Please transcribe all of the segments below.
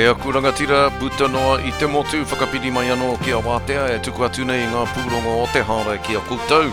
E aku rangatira, puta noa i te motu, whakapiri mai anō ki a Wātea e tuku atu nei i ngā pūrongo o te hāora ki a koutou.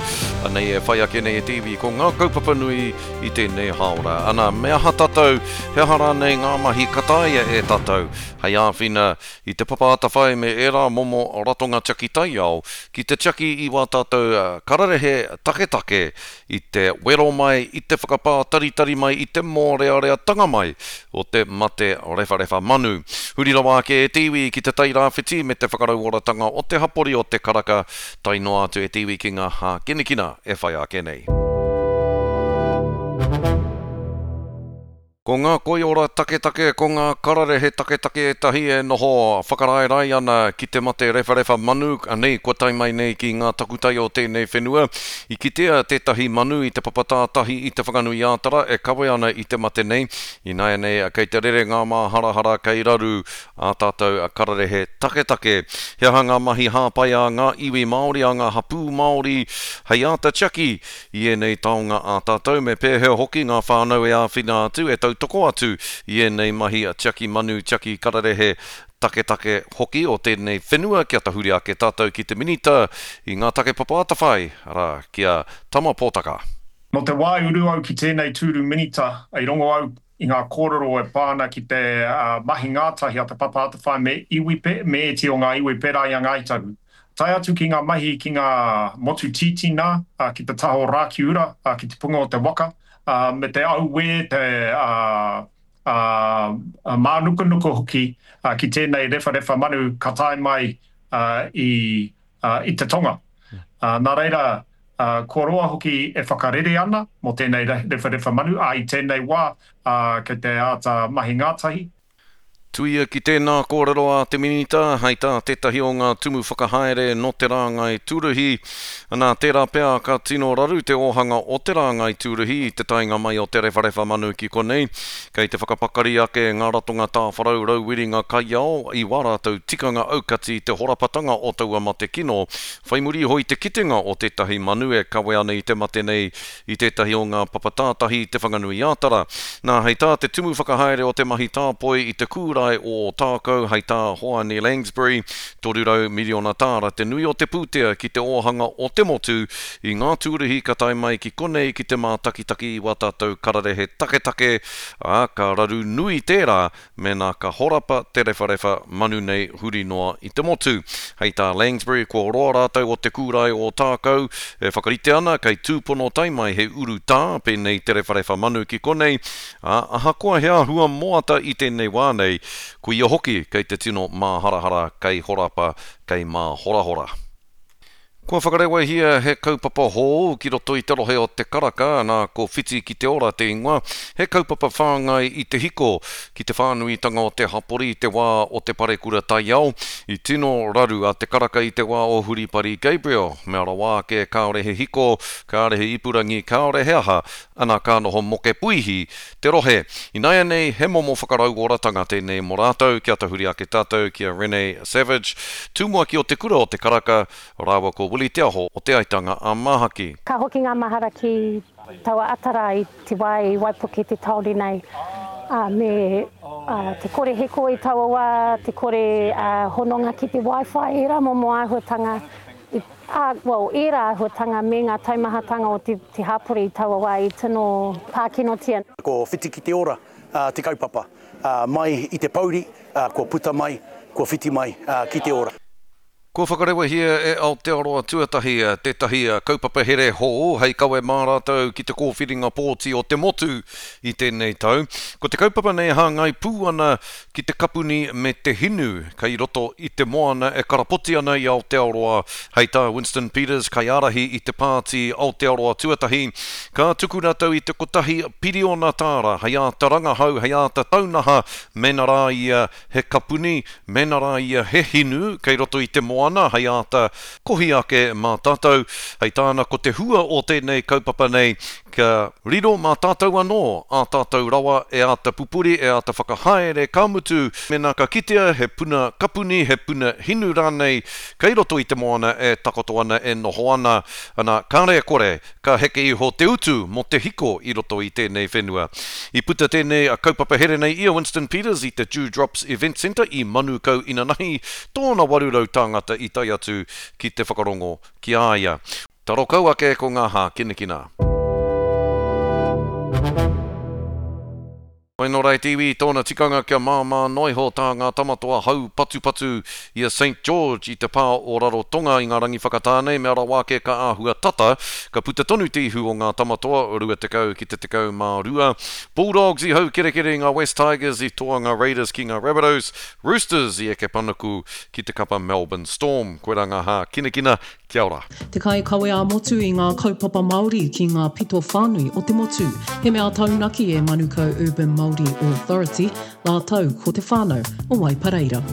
Anei e whai ake nei e te iwi ko ngā kaupapa nui i tēnei hāora. Ana, me aha tātou, he aha rānei ngā mahi ka taea e tātou hei āwhina i Te Papa Atawhai me ērā momo ratonga tiaki taiao ki te tiaki i wā tātou kararehe taketake i te wero mai, i te whakapātaritari mai, i te mōreareatanga mai o te mate rewharewha manu. Huri rawa ake e te iwi ki Te Tai Rāwhiti me te whakarauoratanga o te hapori o Te Karaka, tae noa atu e te iwi ki ngā hākinakina e whai ake nei. Ko ngā koiora taketake, ko ngā kararehe taketake ētahi e noho whakaraerae ana ki te mate rewharewha manu, anei kua tae mai nei ki ngā takutai o tēnei whenua. I kitea tētahi manu i te papa tātahi i Te Whanganui-ā-Tara e kawe ana i te mate nei. Ināianei kei te rere ngā māharahara kei raru ā tātou kararehe taketake. He aha ngā mahi hāpai a ngā iwi Māori, a ngā hapū Māori hei āta tiaki I ēnei taonga ā tātou, me pēhea hoki ngā whānau e āwhina atu, e tautoko atu i ēnei mahi tiaki manu, tiaki kararehe taketake hoki o tēnei whenua kia tahuri ake tātou ki te Minita i ngā take papa atawhai, arā, ki a Tama Potaka. Nō te wā i uru au ki tēnei tūru Minita, i rongo au i ngā kōrero e pā ana ki te mahi ngātahi a Te Papa Atawhai me iwi, me ētehi o ngā iwi pērā i a Ngāi Tahu. Tae atu ki ngā mahi ki ngā motu tītīnā, ki te taha o Rākiura, ki te punga o te waka, me te auē, te mānukanuka hoki ki tēnei rewharewha manu ka tae mai i te tonga. Nā reira, kua roa hoki e whakarere ana mō tēnei rewharewha manu, ā, i tēnei wā kei te āta mahi ngātahi. Tuia ki tēnā kōrero a te Minita, hei tā tētahi o ngā tumu whakahaere nō te rāngai tūruhi, nā, tērā pea ka tino raru te ōhanga o te rāngai tūruhi i te taenga mai o te rewharewha manu ki konei. Kei te whakapakari ake ngā ratonga tāwharau rauwiringa kaiao i wā rātou tikanga aukati i te horapatanga o taua mate kino, whai muri iho i te kitenga o tētahi manu e kawe ana i te mate nei i tētahi o ngā papa tātahi i Te Whanganui-ā-Tara. Nā, hei tā te tumu whakahaere o te mahi tāpoi i te kūrae o Ōtākou, hei tā Hoani Langsbury, 300 miriona tāra te nui o te pūtea ki te ōhanga o te motu i ngā tūruhi ka tae mai ki konei ki te mātakitaki i wā tātou kararehe taketake, ā, ka raru nui tērā Mēnā ka horapa te rewharewha manu nei huri noa i te motu. Hei tā Langsbury, kua roa rātou o te kūrae o Ōtākou e whakarite ana kei tūpono tae mai he urutā pēnei te rewharewha manu ki konei, ā, ahakoa he āhua moata i tēnei wā nei, koia hoki kei te tino māharahara kei horapa, kei māhorahora. Kua whakarewahia he kaupapa hou ki roto i te rohe o Te Karaka, nā ko Whiti ki te Ora te ingoa, he kaupapa whāngai i te hiko ki te whānuitanga o te hapori i te wā o te parekura taiao. I tino raru a Te Karaka i te wā o Huripari Gabriel, mea rawa ake kāore he hiko, kāore he ipurangi, kāore he aha, ana ka noho moke puihi te rohe. Ināianei he momo whakarauoratanga tēnei mō rātou, kia tahuri ake tātou ki a Rene Savage, tumuaki o Te Kura o Te Karaka, rāua ko Willie Te Aho o Te Aitanga a Māhaki. Ka hoki ngā mahara ki taua ata rā i te wā i waipuke te tāone nei, ā, me te kore hiko i taua wā, te kore hononga ki te wifi, ērā momo āhuatanga i Ā, well, ērā āhuatanga me ngā taumahatanga o te, te hapori i taua wā i tino pākinotia. Ko Whiti ki te Ora te kaupapa. Mai i te pouri, kua puta mai, kua whiti mai ki te ora. Kua whakarewahia e Aotearoa Tuatahi tētahi kaupapa here hou hei kawe mā rātou ki te kōwhiringa pōti o te motu i tēnei tau. Ko te kaupapa nei hāngai pū ana ki te kapuni me te hinu kei roto i te moana e karapoti ana i Aotearoa, hei tā Winston Peters, kaiārahi i te pāti Aotearoa Tuatahi, ka tuku rātou i te kotahi piriona tāra hei āta rangahau, hei āta taunaha mēnā rā ia he kapuni, mēnā rā ia he hinu kei roto i te moana. moana hei āta kohi ake mā tātou. Hei tāna ko te hua o tēnei kaupapa nei kia riro mā tātou anō ā tātou rawa e āta pupuri, e āta whakahaere, ka mutu mēnā ka kitea he puna kapuni, he puna hinu rānei kei roto i te moana e takoto ana, e noho ana, ana, kāre e kore ka heke iho te utu mō te hiko i roto i tēnei whenua. I puta tēnei kaupapa here nei i a Winston Peters i te Dew Drops Event Centre i Manukau inanahi, tōna 800 tāngata i tae atu ki te whakarongo ki a ia. Taro kau ake ko ngā hākinakina. Whai nō rae te iwi i tōna tikanga kia māmā noa iho tā ngā tamatoa hau patupatu i a Saint George i te pā o Rarotonga i ngā rangi whakatā nei, mea rawa ake ka āhua tata, ka puta tonu te ihu o ngā tamatoa, 20 ki te 12. Bulldogs i haukerekere i ngā West Tigers, i toa ngā Raiders ki ngā Rabbitohs, Roosters i eke panuku ki te kapa Melbourne Storm. Koirā ngā hākinakina Kia ora. Te kaikawe ā-motu i ngā kaupapa Māori ki ngā pito whānui o te motu. He mea taunaki e Manukau Urban Māori Authority rātou ko te whānau o Waipareira.